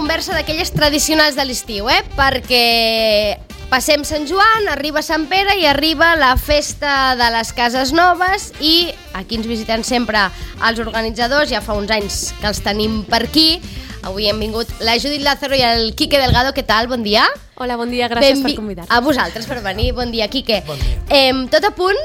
conversa d'aquelles tradicionals de l'estiu, perquè passem Sant Joan, arriba Sant Pere i arriba la festa de les cases noves i aquí ens visiten sempre els organitzadors, ja fa uns anys que els tenim per aquí. Avui hem vingut la Judit Lázaro i el Quique Delgado. Què tal? Bon dia. Hola, bon dia, gràcies per convidar-nos. A vosaltres per venir. Bon dia, Quique. Bon dia. Tot a punt?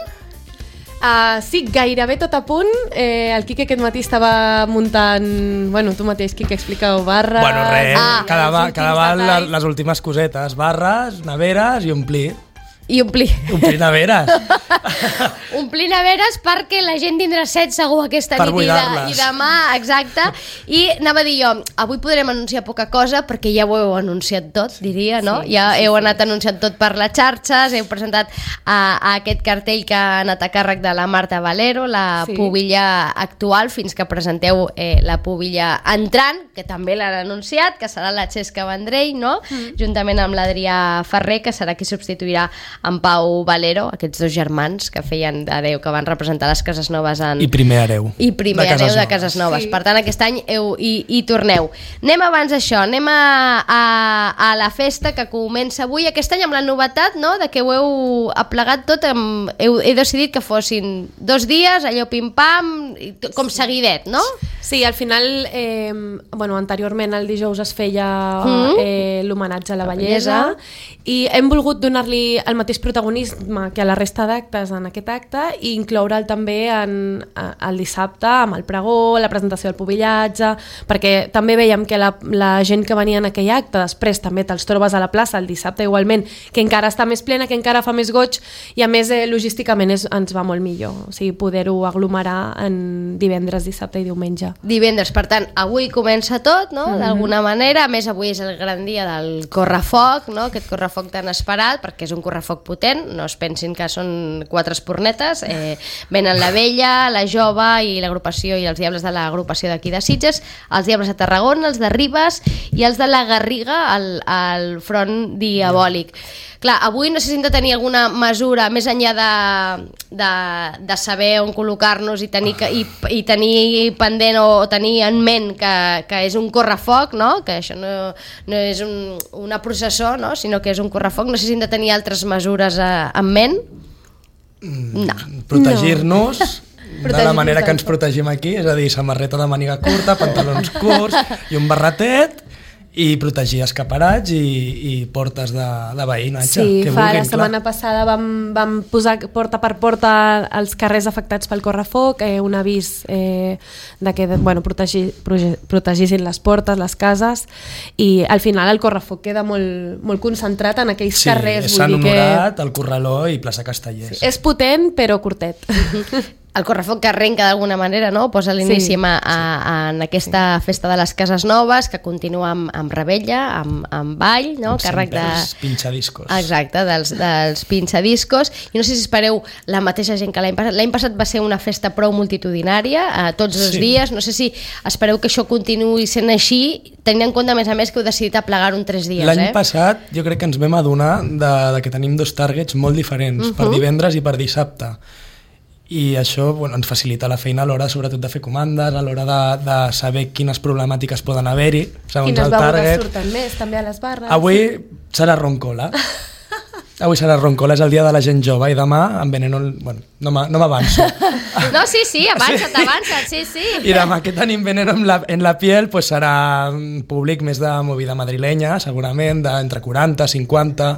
Sí, gairebé tot a punt. El Quique aquest matí estava muntant... Bueno, tu mateix, Quique, explica-ho, barres... Bueno, res, cada val les últimes cosetes, barres, neveres i omplir. I omplir. Omplir neveres. Omplir neveres perquè la gent tindrà set segur aquesta per nit i demà, exacte. I anava a dir jo, avui podrem anunciar poca cosa perquè ja ho heu anunciat tot, diria, no? Sí, ja heu anat anunciant tot per les xarxes, heu presentat a aquest cartell que ha anat a càrrec de la Marta Valero, la pubilla actual, fins que presenteu la pubilla entrant, que també l'han anunciat, que serà la Xesca Vendrell, no? Juntament amb l'Adrià Ferrer, que serà qui substituirà en Pau Valero, aquests dos germans que feien d'hereu, que van representar les Cases Noves I primer hereu. I primer hereu de Cases Noves. Sí. Per tant, aquest any hi torneu. Anem abans d'això, anem a la festa que comença avui, aquest any amb la novetat, no?, de que ho heu aplegat tot, heu decidit que fossin 2 dies, allò pim-pam, com seguidet, no? Sí, al final, anteriorment el dijous es feia l'homenatge a la bellesa i hem volgut donar-li el mateix protagonisme que a la resta d'actes en aquest acte i incloure'l també el dissabte amb el pregó, la presentació del pubillatge, perquè també veiem que la gent que venia en aquell acte després també te'ls trobes a la plaça el dissabte igualment, que encara està més plena, que encara fa més goig i a més logísticament ens va molt millor, o sigui, poder-ho aglomerar en divendres, dissabte i diumenge. Divendres, per tant, avui comença tot, no?, d'alguna manera, a més avui és el gran dia del correfoc, no?, aquest correfoc tan esperat, perquè és un correfoc potent, no es pensin que són 4 espurnetes, venen la Vella, la Jove i l'agrupació i els Diables de l'agrupació d'aquí de Sitges, els Diables de Tarragona, els de Ribes i els de la Garriga al front diabòlic. Clar, avui no sé si hem de tenir alguna mesura més enllà de saber on col·locar-nos i tenir pendent o tenir en ment que és un correfoc, no?, que això no és una processó, no?, sinó que és un correfoc. No sé si hem de tenir altres mesures en ment. No. Protegir-nos de la manera que ens protegim aquí, és a dir, samarreta de màniga curta, pantalons curts i un barretet, i protegir escaparats i portes de veïnatge. Sí, la setmana passada vam posar porta per porta els carrers afectats pel correfoc, un avís de que protegissin les portes, les cases, i al final el correfoc queda molt concentrat en aquells carrers. Sí, és Sant Honorat, el Corraló i plaça Castellers. És potent però curtet. El correfoc que arrenca d'alguna manera, no?, posa l'inici en aquesta festa de les Cases Noves, que continua amb rebella, amb ball, no?, càrrec dels pinxadiscos. Exacte, dels pinxadiscos. I no sé si espereu la mateixa gent que l'any passat. L'any passat va ser una festa prou multitudinària, tots els dies. No sé si espereu que això continuï sent així, tenint en compte, a més, que heu decidit aplegar-ho en 3 dies. L'any passat jo crec que ens vam adonar de que tenim 2 targets molt diferents, per divendres i per dissabte. I això ens facilita la feina a l'hora sobretot de fer comandes, a l'hora de saber quines problemàtiques poden haver-hi segons el target. Quines begudes surten més també a les barres. Avui serà roncola. Avui serà roncola, és el dia de la gent jove i demà en Veneno... Bueno, no m'avanço. No, sí, avança't, sí. I demà que tenim Veneno en la piel pues serà un públic més de movida madrilenya, segurament, d'entre 40, 50,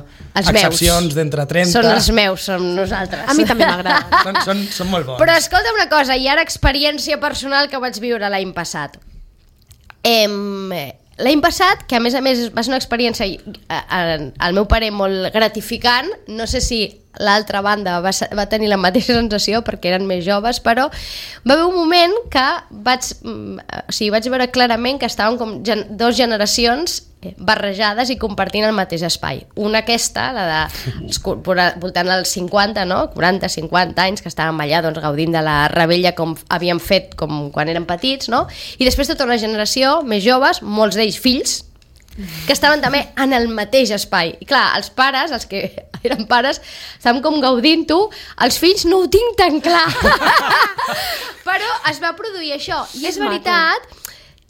excepcions d'entre 30. Són els meus, som nosaltres. A mi també m'agrada. Són molt bons. Però escolta una cosa, i ara experiència personal que vaig viure l'any passat. L'any passat, que a més va ser una experiència al meu parer molt gratificant, no sé si l'altra banda va tenir la mateixa sensació perquè eren més joves, però va haver un moment que vaig veure clarament que estaven com 2 generacions barrejades i compartint el mateix espai. Una aquesta, la de voltant als 50, no? 40-50 anys, que estàvem allà gaudint de la rebella com havíem fet com quan érem petits, no? I després tota una generació més joves, molts d'ells fills, que estaven també en el mateix espai. I clar, els pares, els que eren pares, estàvem com gaudint-ho, els fills no ho tinc tan clar. Però es va produir això. I és veritat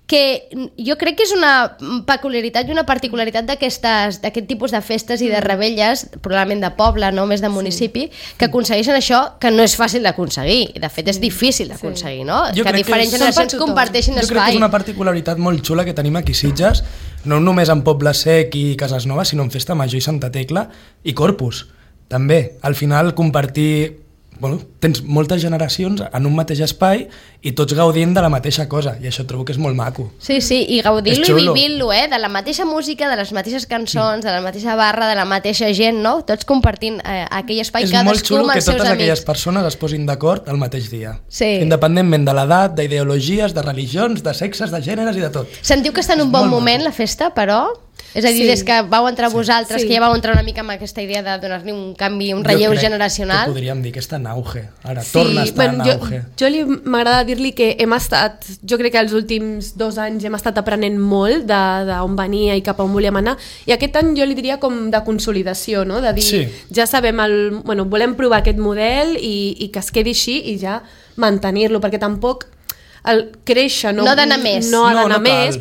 que jo crec que és una peculiaritat i una particularitat d'aquest tipus de festes i de rebelles, probablement de poble, no més de municipi, que aconsegueixen això que no és fàcil d'aconseguir. De fet, és difícil d'aconseguir, no? Que diferents generacions comparteixin espai. Jo crec que és una particularitat molt xula que tenim aquí a Sitges, no només en Poble Sec i Cases Noves, sinó en Festa Major i Santa Tecla i Corpus. També, al final, compartir... Bueno, tens moltes generacions en un mateix espai i tots gaudint de la mateixa cosa, i això trobo que és molt maco. Sí, i gaudir-lo i vivint-lo, de la mateixa música, de les mateixes cançons, de la mateixa barra, de la mateixa gent, no? Tots compartint aquell espai, cadascú amb els seus amics. És molt xulo que totes aquelles persones es posin d'acord el mateix dia, independentment de l'edat, d'ideologies, de religions, de sexes, de gèneres i de tot. Sentiu que està en un bon moment la festa, però... És a dir, des que vau entrar vosaltres, que ja vau entrar una mica amb aquesta idea de donar-li un canvi, un relleu generacional. Jo crec que podríem dir que està en auge. Ara torna a estar en auge. Jo m'agrada dir-li que hem estat, jo crec que els últims 2 anys hem estat aprenent molt d'on venia i cap a on volíem anar, i aquest any jo li diria com de consolidació, no? De dir, ja sabem, volem provar aquest model i que es quedi així i ja mantenir-lo, perquè tampoc créixer, no ha d'anar més,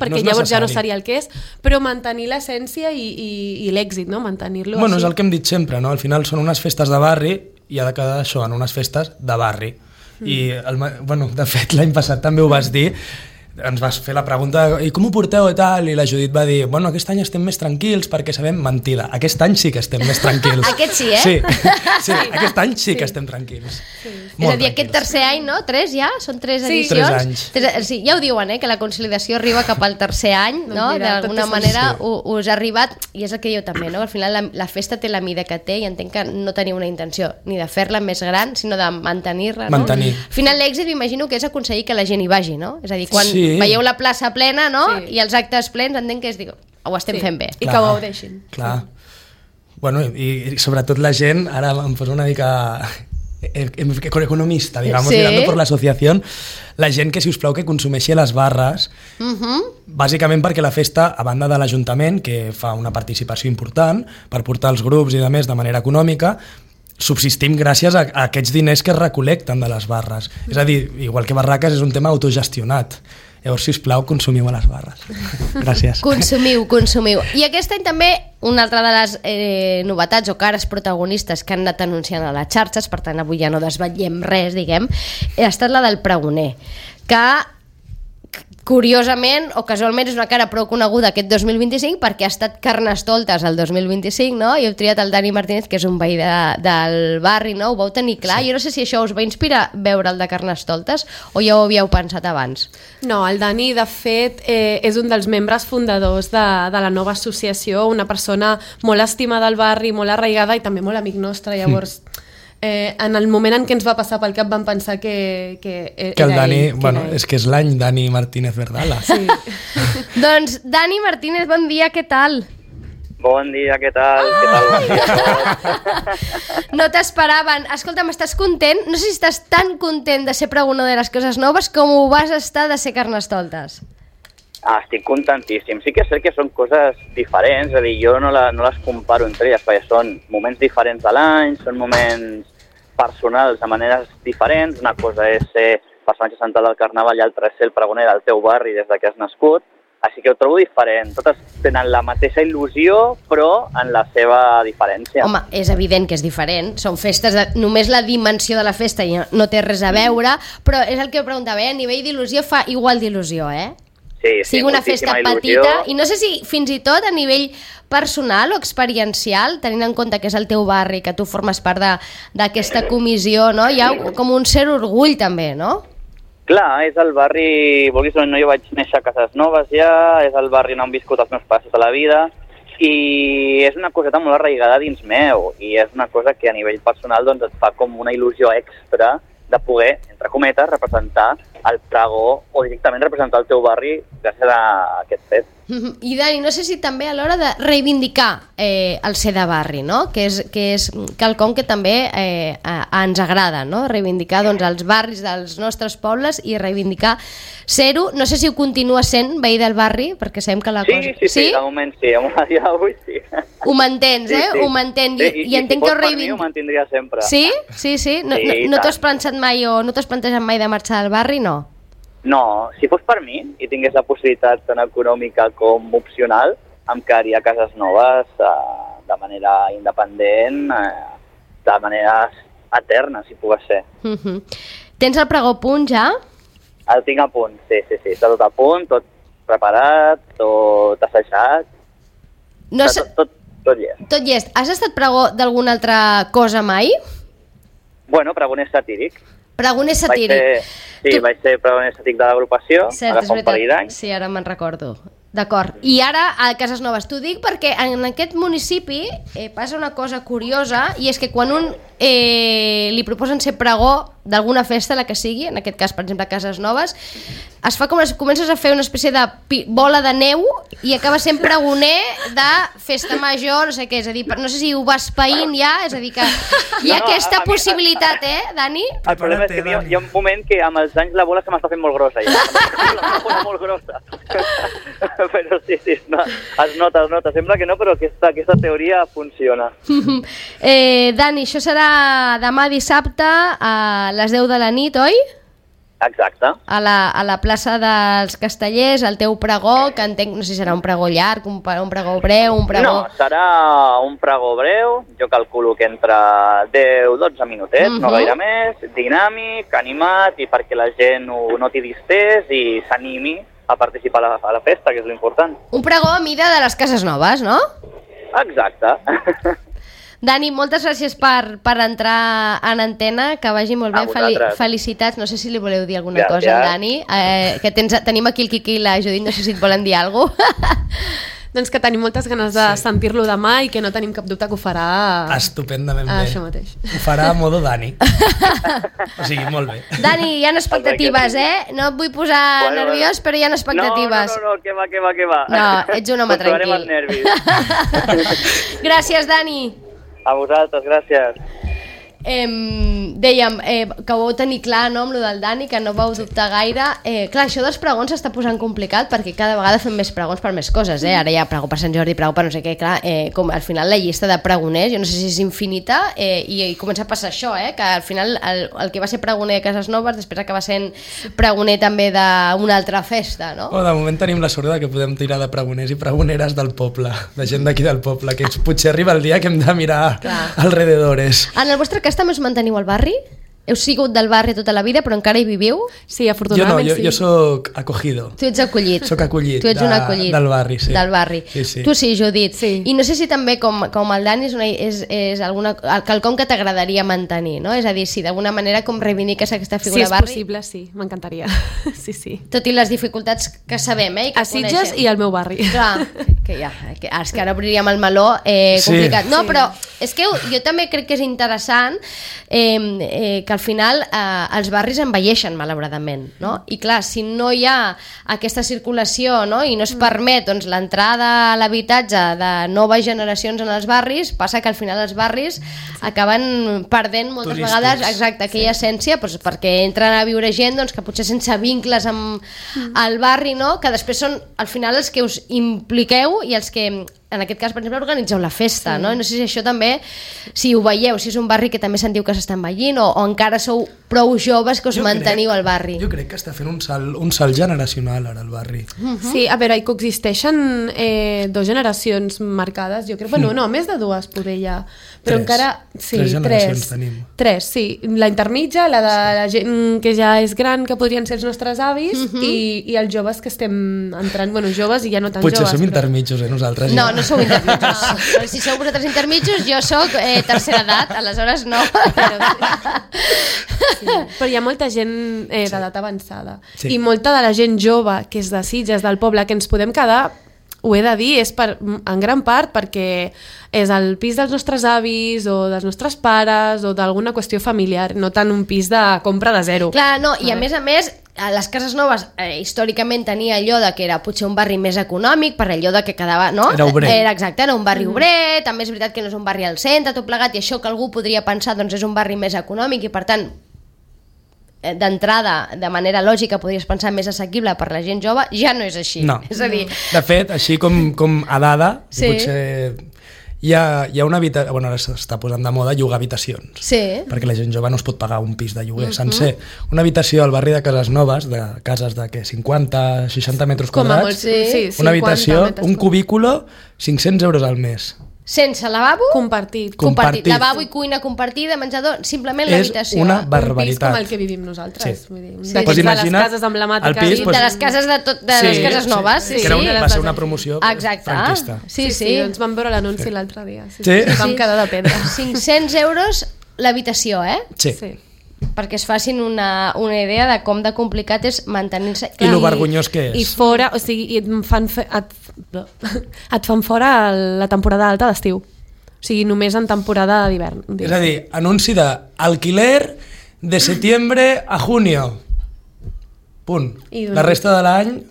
perquè llavors ja no seria el que és, però mantenir l'essència i l'èxit, no? Mantenir-lo així. És el que hem dit sempre, no? Al final són unes festes de barri i ha de quedar això en unes festes de barri. I, de fet, l'any passat també ho vas dir, ens vas fer la pregunta i com ho porteu i tal, i la Judit va dir aquest any estem més tranquils perquè sabem mentida, aquest any sí que estem més tranquils. Aquest sí, Sí, aquest any sí que estem tranquils. És a dir, aquest tercer any, no? 3 ja? Són 3 edicions? 3 anys. Sí, ja ho diuen, que la consolidació arriba cap al tercer any, no? D'alguna manera us ha arribat, i és el que diu també, no? Al final la festa té la mida que té i entenc que no teniu una intenció ni de fer-la més gran, sinó de mantenir-la, no? Al final l'èxit m'imagino que és aconseguir que la gent hi vagi, no? És a dir, quan veieu la plaça plena, no? I els actes plens, entenc que ho estem fent bé. I que ho gaudeixin. Clar. Bueno, i sobretot la gent, ara em poso una mica economista, digamos, mirando por la asociación, la gent que, si us plau, que consumeixi les barres, bàsicament perquè la festa, a banda de l'Ajuntament, que fa una participació important per portar els grups i de més de manera econòmica, subsistim gràcies a aquests diners que es recolecten de les barres. És a dir, igual que barraques, és un tema autogestionat. Llavors, sisplau, consumiu a les barres. Gràcies. Consumiu. I aquest any també una altra de les novetats o cares protagonistes que han anat anunciant a les xarxes, per tant avui ja no desvetllem res, diguem, ha estat la del pregoner, que curiosament o casualment és una cara prou coneguda aquest 2025 perquè ha estat Carnestoltes el 2025, no? I heu triat el Dani Martínez, que és un veí del barri, no? Ho vau tenir clar. Jo no sé si això us va inspirar veure el de Carnestoltes o ja ho havíeu pensat abans. No, el Dani, de fet, és un dels membres fundadors de la nova associació, una persona molt estimada al barri, molt arraigada i també molt amic nostre, llavors... en el moment en què ens va passar pel cap vam pensar que el Dani, és que és l'any Dani Martínez Verdala. Sí. Doncs Dani Martínez, bon dia, què tal? Bon dia, què tal? Bon dia. No t'esperaven. Escolta'm, estàs content? No sé si estàs tan content de ser pregonador de les coses noves com ho vas estar de ser Carnestoltes. Estic contentíssim. Sí que és cert que són coses diferents, és a dir, jo no les comparo entre elles, perquè són moments diferents de l'any, són moments personals de maneres diferents. Una cosa és ser personatge central del Carnaval i l'altra és ser el pregoner del teu barri des que has nascut. Així que ho trobo diferent. Totes tenen la mateixa il·lusió, però en la seva diferència. Home, és evident que és diferent. Són festes només la dimensió de la festa no té res a veure, però és el que preguntava, a nivell d'il·lusió fa igual d'il·lusió, Sí, sigui una festa petita, i no sé si fins i tot a nivell personal o experiencial, tenint en compte que és el teu barri, que tu formes part d'aquesta comissió, no? Hi ha com un cert orgull també, no? Clar, és el barri, vulguis o no, jo vaig néixer a Cases Noves ja, és el barri on han viscut els meus passos de la vida, i és una coseta molt arraigada dins meu, i és una cosa que a nivell personal doncs, et fa com una il·lusió extra de poder, entre cometes, representar el pregó o directament representar el teu barri gràcies a aquest fet. I Dani, no sé si també a l'hora de reivindicar el ser de barri, no? Que és quelcom que també ens agrada, no? Reivindicar els barris dels nostres pobles i reivindicar ser-ho. No sé si ho continua sent veí del barri, perquè sabem que la cosa... Sí, de moment sí, a dia d'avui sí. Ho mantens, Ho mantens. I entenc que ho reivindico. Ho mantindria sempre. Sí? No t'ho has pensat mai o no t'has plantejat mai de marxar del barri, no? No, si fos per mi i tingués la possibilitat tant econòmica com opcional, em quedaria a Cases Noves de manera independent, de manera eterna, si pogués ser. Tens el pregó a punt ja? El tinc a punt, sí. Està tot a punt, tot preparat, tot assajat, No tot llest. Tot llest. Has estat pregó d'alguna altra cosa mai? Bueno, pregoner satíric. Pregoner satíric. Vaig ser pregoner satíric de l'agrupació, Cert, ara fa un parell d'anys. Sí, ara me'n recordo. D'acord. I ara a Cases Noves. T'ho dic perquè en aquest municipi passa una cosa curiosa, i és que quan un li proposen ser pregó d'alguna festa, la que sigui, en aquest cas, per exemple, a Cases Noves, es fa comences a fer una espècie de bola de neu i acaba sent pregoner de festa major, no sé què, és a dir, no sé si ho vas païnt ja, és a dir, que hi ha aquesta possibilitat, Dani? El problema és que hi ha un moment que amb els anys la bola se m'està fent molt grossa, ja. La bola molt grossa. Però sí, es nota. Sembla que no, però aquesta teoria funciona. Dani, això serà demà dissabte a les 10 de la nit, oi? Exacte. A la plaça dels Castellers, el teu pregó, que entenc, no sé si serà un pregó llarg, un pregó breu, un pregó... No, serà un pregó breu, jo calculo que entre 10-12 minutets, no gaire més, dinàmic, animat, i perquè la gent ho noti distès i s'animi a participar a la festa, que és l'important. Un pregó a mida de les Cases Noves, no? Exacte. Dani, moltes gràcies per entrar en antena, que vagi molt bé, felicitats. No sé si li voleu dir alguna cosa al Dani, que tenim aquí el Quiqui i la Judit, no sé si et volen dir alguna cosa. Doncs que tenim moltes ganes de sentir-lo demà i que no tenim cap dubte que ho farà... Estupendament bé. Això mateix. Ho farà a modo Dani. O sigui, molt bé. Dani, hi ha expectatives, No et vull posar nerviós, però hi ha expectatives. No, que va. No, ets un home tranquil. Controlarem els nervis. Gràcies, Dani. A vosaltres, gràcies. Dèiem que ho vau tenir clar, no, amb lo del Dani, que no vau dubtar gaire. Clar, això dels pregons s'està posant complicat perquè cada vegada fem més pregons per més coses, Ara hi ha pregó per Sant Jordi, pregó per no sé què, clar, com al final la llista de pregoners, jo no sé si és infinita, i comença a passar això, que al final el que va ser pregoner a Cases Noves després acaba sent pregoner també d'una altra festa, no? De moment tenim la sort que podem tirar de pregoners i pregoneres del poble, de gent d'aquí del poble, que potser arriba el dia que hem de mirar alrededores. En el vostre cas també us manteniu al barri? Heu sigut del barri tota la vida, però encara hi viviu? Sí, afortunadament sí. Jo soc acogido. Tu ets acollit. Soc acollit. Tu ets un acollit. Del barri, sí. Del barri. Sí. Tu sí, Judit. Sí. I no sé si també, com el Dani, és quelcom que t'agradaria mantenir, no? És a dir, si d'alguna manera com reivindiques aquesta figura barri... Si és possible, sí, m'encantaria. Sí. Tot i les dificultats que sabem, i que a Sitges i al meu barri. Clar, que és que ara obriríem el meló complicat. No, però és que jo també crec que és interessant que al final els barris envelleixen malauradament, no? I clar, si no hi ha aquesta circulació, no? I no es permet l'entrada a l'habitatge de noves generacions en els barris, passa que al final els barris acaben perdent moltes vegades aquella essència, perquè entren a viure gent que potser sense vincles amb el barri, no? Que després són al final els que us impliqueu i els que en aquest cas, per exemple, organitzeu la festa, no? I no sé si això també, si ho veieu, si és un barri que també sentiu que s'està envellint o encara sou prou joves que us manteniu al barri. Jo crec que està fent un salt generacional ara al barri. Sí, a veure, hi coexisteixen dues generacions marcades, jo crec, bueno, no, més de dues poder ja, però encara... Sí, tres generacions tenim. Tres, sí, la intermitja, la de la gent que ja és gran, que podrien ser els nostres avis, i els joves que estem entrant, bueno, joves i ja no tan joves. Potser som intermitjos, nosaltres. No sou intermitjos. Si sou vosaltres intermitjos, jo sóc tercera edat, aleshores no. Però hi ha molta gent d'edat avançada. I molta de la gent jove, que és de Sitges, del poble, que ens podem quedar, ho he de dir, és en gran part perquè és el pis dels nostres avis o dels nostres pares o d'alguna qüestió familiar, no tant un pis de compra de zero. Clar, no, i a més, a les Cases Noves històricament tenia allò de que era potser un barri més econòmic per allò de que quedava, no? Era obrer. Exacte, era un barri obrer, també és veritat que no és un barri al centre, tot plegat, i això que algú podria pensar és un barri més econòmic i per tant d'entrada, de manera lògica, podries pensar més assequible per la gent jove, ja no és així. No. És a dir... De fet, així com a dada, potser hi ha una habitació... Bueno, ara s'està posant de moda llogar habitacions. Sí. Perquè la gent jove no es pot pagar un pis de lloguer sencer. Una habitació al barri de Cases Noves, de cases de 50, 60 metres quadrats, sí, una habitació, metres un cubículo, 500 euros al mes. Sense lavabo? Compartit. Lavabo i cuina compartida, menjador, simplement l'habitació. És una Un pis barbaritat. com el que vivim nosaltres. Sí. Vull dir, Sí. d'aquests Pues de les imagina't cases emblemàtiques. el pis, De les cases les cases noves. Que era va ser una promoció franquista. Sí. Ens vam veure l'anunci l'altre dia. Sí. Vam quedar de pedra. 500 euros l'habitació, Sí. perquè es facin una idea de com de complicat és mantenir-se. I lo vergonyós que és. I fora, o sigui, et fan fora la temporada alta d'estiu. O sigui, només en temporada d'hivern. És a dir, anunci de alquiler de setembre a junio. Punt. La resta de l'any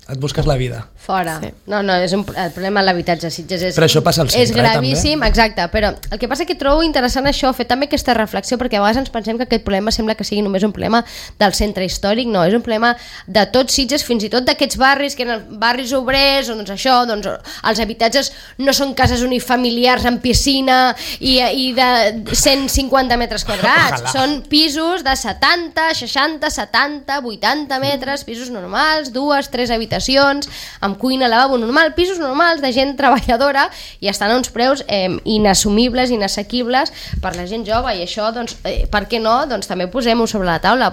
et busques la vida. Fora. Sí. No, és el problema de l'habitatge a Sitges és, Però això passa al centre, és gravíssim, també. exacte, però el que passa que trobo interessant això, fer també aquesta reflexió, perquè a vegades ens pensem que aquest problema sembla que sigui només un problema del centre històric, no, és un problema de tots Sitges, fins i tot d'aquests barris, que eren barris obrers, doncs això, doncs els habitatges no són cases unifamiliars amb piscina i de 150 metres quadrats, són pisos de 70, 60, 70, 80 metres, pisos normals, 2, 3 habitacions, amb cuina, lavabo normal, pisos normals de gent treballadora i estan a uns preus inassumibles, inassequibles per la gent jove i això, doncs, per què no? Doncs també posem-ho sobre la taula.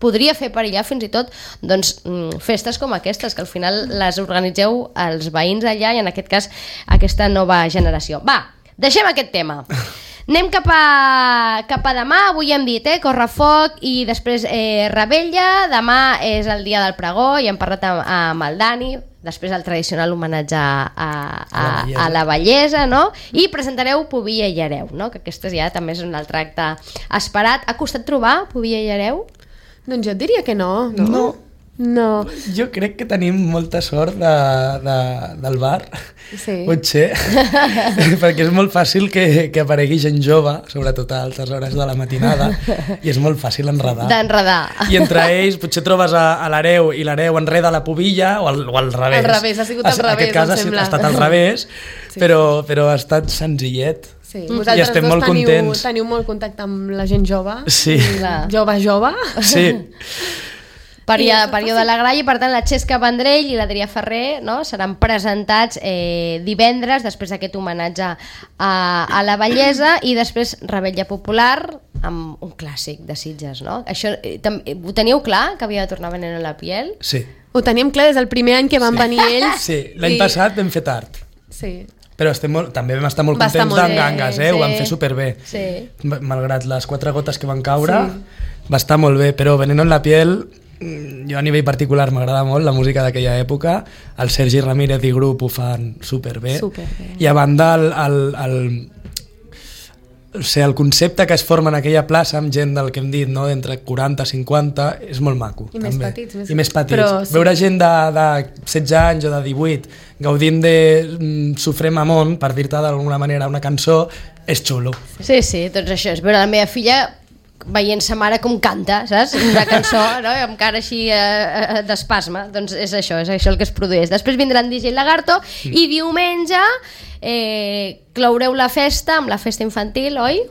Podria fer perillar fins i tot doncs, festes com aquestes, que al final les organitzeu els veïns allà i en aquest cas aquesta nova generació. Va, deixem aquest tema. Anem cap a demà, avui hem dit, Correfoc i després Rebella, demà és el dia del pregó i hem parlat amb el Dani, després el tradicional homenatge a la bellesa, no? I presentareu Pubilla i Hereu, no? Que aquesta ja també és un altre acte esperat. Ha costat trobar Pubilla i Hereu? Doncs jo et diria que no. No. Jo crec que tenim molta sort del bar, potser, perquè és molt fàcil que aparegui gent jove, sobretot a altes hores de la matinada, i és molt fàcil enredar. I entre ells potser trobes a l'Hereu i l'Hereu enreda la Pubilla, o al revés. Al revés, ha sigut al revés, em sembla. Ha estat al revés, però ha estat senzillet. Sí. I estem molt contents. Teniu molt contacte amb la gent jove. Sí. Jove. Sí. Període de la Gralla, i per tant la Xesca Vendrell i l'Adrià Ferrer, no, seran presentats divendres després d'aquest homenatge a la bellesa i després Rebella Popular amb un clàssic de Sitges, no? Això, ho teníeu clar que havia de tornar Veneno en la piel? Sí. Ho teníem clar des del primer any que van venir ells. Sí, l'any passat vam fer tard. Sí. Però també vam estar molt contents d'en Gangas, ho vam fer superbé. Sí. Malgrat les 4 gotes que van caure, va estar molt bé, però Veneno en la piel, jo a nivell particular m'agrada molt la música d'aquella època, el Sergi Ramírez i grup ho fan superbé. I a banda el concepte que es forma en aquella plaça amb gent del que hem dit, no? D'entre 40 i 50, és molt maco. I també. més petits. Però, veure gent de 16 anys o de 18 gaudint de Sofré Mamón, per dir-te d'alguna manera una cançó, és xulo. Sí, doncs això és veure la meva filla veient sa mare com canta, saps? Una cançó, no? Amb cara així d'espasme, doncs és això el que es produeix. Després vindran DJ Lagarto i diumenge cloureu la festa amb la festa infantil, oi?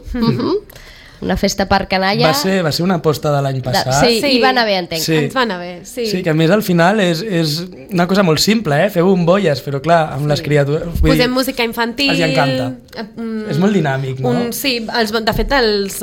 Una festa per canalla. Va ser una aposta de l'any passat. Sí, i va anar bé, entenc. Sí. Ens va anar bé, sí. Sí, que a més al final és una cosa molt simple, fer bombolles, però clar, amb les criatures... Posem música infantil... Els encanta. És molt dinàmic, no? Sí, de fet els...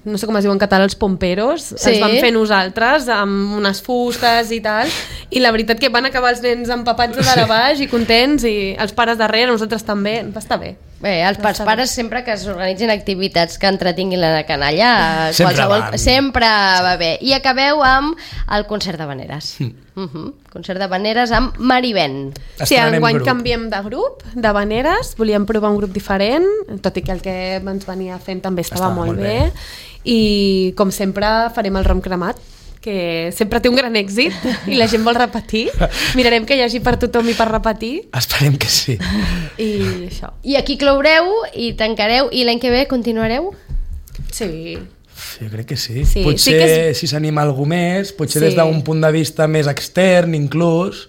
no sé com es diu en català, els pomperos, els vam fer nosaltres amb unes fustes i tal, i la veritat que van acabar els nens empapats de dalt a baix i contents, i els pares darrere, nosaltres també, va estar bé. Bé, els pares sempre que s'organitzin activitats que entretinguin la canalla, sempre va bé. I acabeu amb el concert d'havaneres. Concert d'havaneres amb Marivent. Sí, enguany canviem de grup, d'havaneres, volíem provar un grup diferent, tot i que el que ens venia fent també estava molt bé. I com sempre farem el rom cremat, que sempre té un gran èxit i la gent vol repetir. Mirarem que hi hagi per tothom i per repetir. Esperem que sí. I això. I aquí cloureu i tancareu, i l'any que ve continuareu? Sí. Jo crec que sí. Potser si s'anima algú més, potser des d'un punt de vista més extern inclús,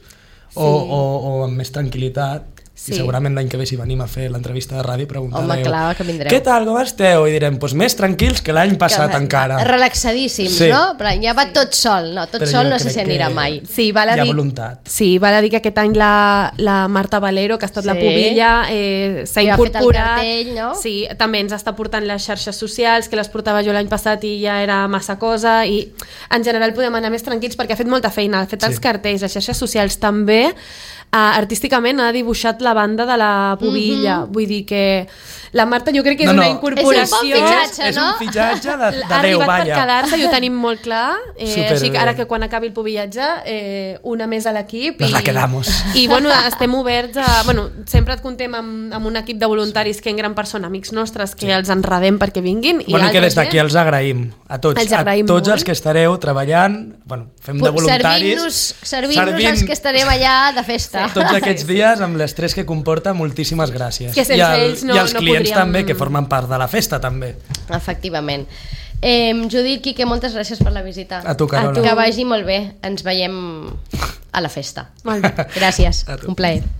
o amb més tranquil·litat. I segurament l'any que ve si venim a fer l'entrevista de ràdio preguntareu, home, clar, que vindreu. Què tal, com esteu? I direm, doncs més tranquils que l'any passat encara. Relaxadíssims, Sí. no? Però ja va tot sol, no, tot Però sol jo no sé crec si anirà que mai. Sí, val a hi ha dir, voluntat. sí, val a dir que aquest any la Marta Valero, que ha estat la Sí. pubilla, s'ha Que ha fet el incorporat. cartell, no? Sí, també ens està portant les xarxes socials, que les portava jo l'any passat i ja era massa cosa, i en general podem anar més tranquils perquè ha fet molta feina, ha fet els cartells, les xarxes socials també, artísticament ha dibuixat la banda de la pubilla, vull dir que la Marta jo crec que és una incorporació. És un bon fitxatge, És un fitxatge de ha Déu, arribat per vaja. quedar-se i ho tenim molt clar, així que ara Superbé. que quan acabi el pubillatge una més a l'equip Nos la quedamos. i bueno, estem oberts a, bueno, sempre et contem amb un equip de voluntaris que en gran part són amics nostres que els enredem perquè vinguin i Bueno, que des altra d'aquí gent- els agraïm a tots, Els agraïm a tots molt. els que estareu treballant, bueno, fem de voluntaris, Servint-nos els que estarem allà de festa. tots aquests dies amb l'estrès que comporta, moltíssimes gràcies. Que sense ells no- I els no clients podríem- també, que formen part de la festa també. Efectivament. Judit, Quique, moltes gràcies per la visita. A tu, Carola. Que vagi molt bé. Ens veiem a la festa. Molt bé. Gràcies. A tu. Un plaer.